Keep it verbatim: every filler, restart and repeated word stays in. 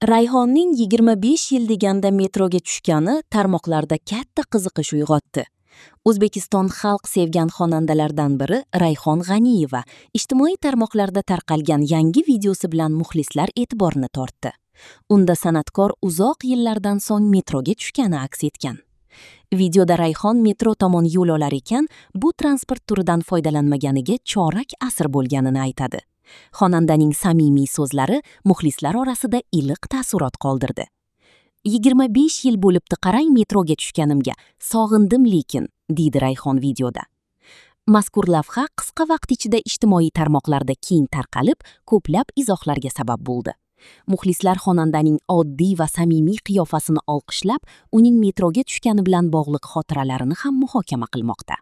Rayhonning yigirma besh yil deganda metroga tushgani tarmoqlarda katta qiziqish uyg'otdi. O'zbekiston xalq sevgan xonandalardan biri Rayhon G'aniyeva ijtimoiy tarmoqlarda tarqalgan yangi videosi bilan muxlislar e'tiborini tortdi. Unda san'atkor uzoq yillardan so'ng metroga tushgani aks etgan. Videoda Rayhon metro tomon yo'l olar ekan, bu transport turidan foydalanmaganiga chorak asr bo'lganini aytadi. Xonandaning samimiy so'zlari muxlislar orasida iliq taassurot qoldirdi. Yigirma besh yil bo'libdi qarang metroga tushganimga, sog'indim lekin, deydi Rayhon videoda. Mazkur lavha qisqa vaqt ichida ijtimoiy tarmoqlarda keng tarqalib, ko'plab izohlarga sabab bo'ldi. Muxlislar xonandaning oddiy va samimiy qiyofasini olqishlab, uning metroga tushgani bilan bog'liq xotiralarini ham muhokama qilmoqda.